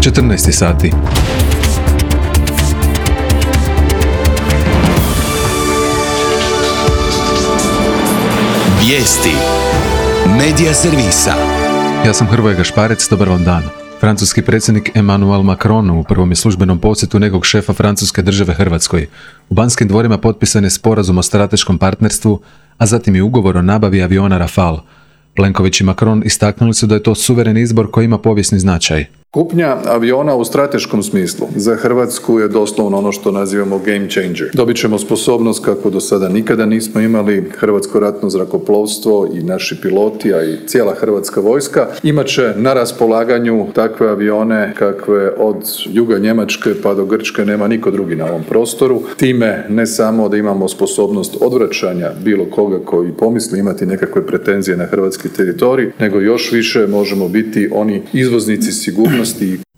14 sati. Vijesti Medija servisa. Ja sam Hrvoje Gašparec, dobar vam dan. Francuski predsjednik Emmanuel Macron u prvom je službenom posjetu njegovog šefa Francuske države Hrvatskoj. U Banskim dvorima potpisan je sporazum o strateškom partnerstvu, a zatim i ugovor o nabavi aviona Rafale. Plenković i Macron istaknuli su da je to suvereni izbor koji ima povijesni značaj. Kupnja aviona u strateškom smislu za Hrvatsku je doslovno ono što nazivamo game changer. Dobit ćemo sposobnost kako do sada nikada nismo imali. Hrvatsko ratno zrakoplovstvo i naši piloti, a i cijela Hrvatska vojska imat će na raspolaganju takve avione kakve od juga Njemačke pa do Grčke nema niko drugi na ovom prostoru. Time ne samo da imamo sposobnost odvraćanja bilo koga koji pomisli imati nekakve pretenzije na hrvatski teritorij, nego još više možemo biti oni izvoznici sigurnosti.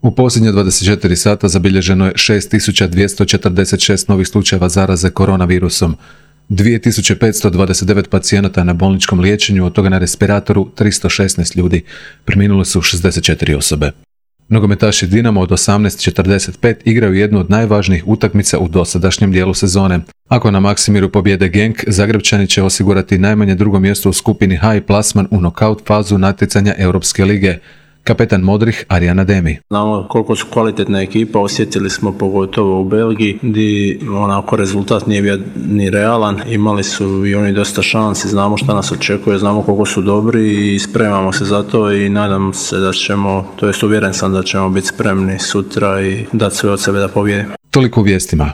U posljednje 24 sata zabilježeno je 6246 novih slučajeva zaraze koronavirusom. 2529 pacijenata na bolničkom liječenju, od toga na respiratoru 316 ljudi. Preminule su 64 osobe. Nogometaši Dinamo od 18:45 igraju jednu od najvažnijih utakmica u dosadašnjem dijelu sezone. Ako na Maksimiru pobjede Genk, Zagrebčani će osigurati najmanje drugo mjesto u skupini H i plasman u nokaut fazu natjecanja Europske lige. Kapetan Modrih Arjan Ademi. Znamo koliko su kvalitetna ekipa, osjetili smo pogotovo u Belgiji gdje onako rezultat nije bio ni realan, imali su i oni dosta šansi, znamo šta nas očekuje, znamo koliko su dobri i spremamo se za to i nadam se da ćemo, to jest uvjeren sam da ćemo biti spremni sutra i dati sve od sebe da pobijedimo. Toliko u vijestima.